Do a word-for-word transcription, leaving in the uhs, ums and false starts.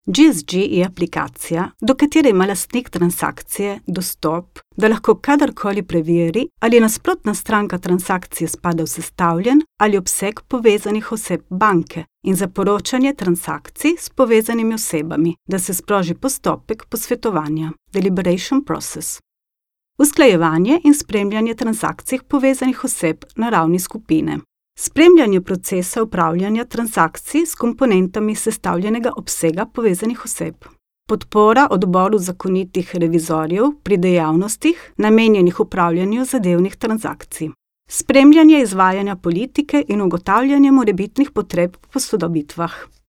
G S G je aplikacija, do katere ima lastnik transakcije dostop, da lahko kadarkoli preveri, ali nasprotna stranka transakcije spada v sestavljen ali obseg povezanih oseb banke in za poročanje transakcij s povezanimi osebami, da se sproži postopek posvetovanja, deliberation process. Usklajevanje in spremljanje transakcij povezanih oseb na ravni skupine. Spremljanje procesa upravljanja transakcij s komponentami sestavljenega obsega povezanih oseb. Podpora odboru zakonitih revizorjev pri dejavnostih, namenjenih upravljanju zadevnih transakcij. Spremljanje izvajanja politike in ugotavljanje morebitnih potreb po posodobitvah.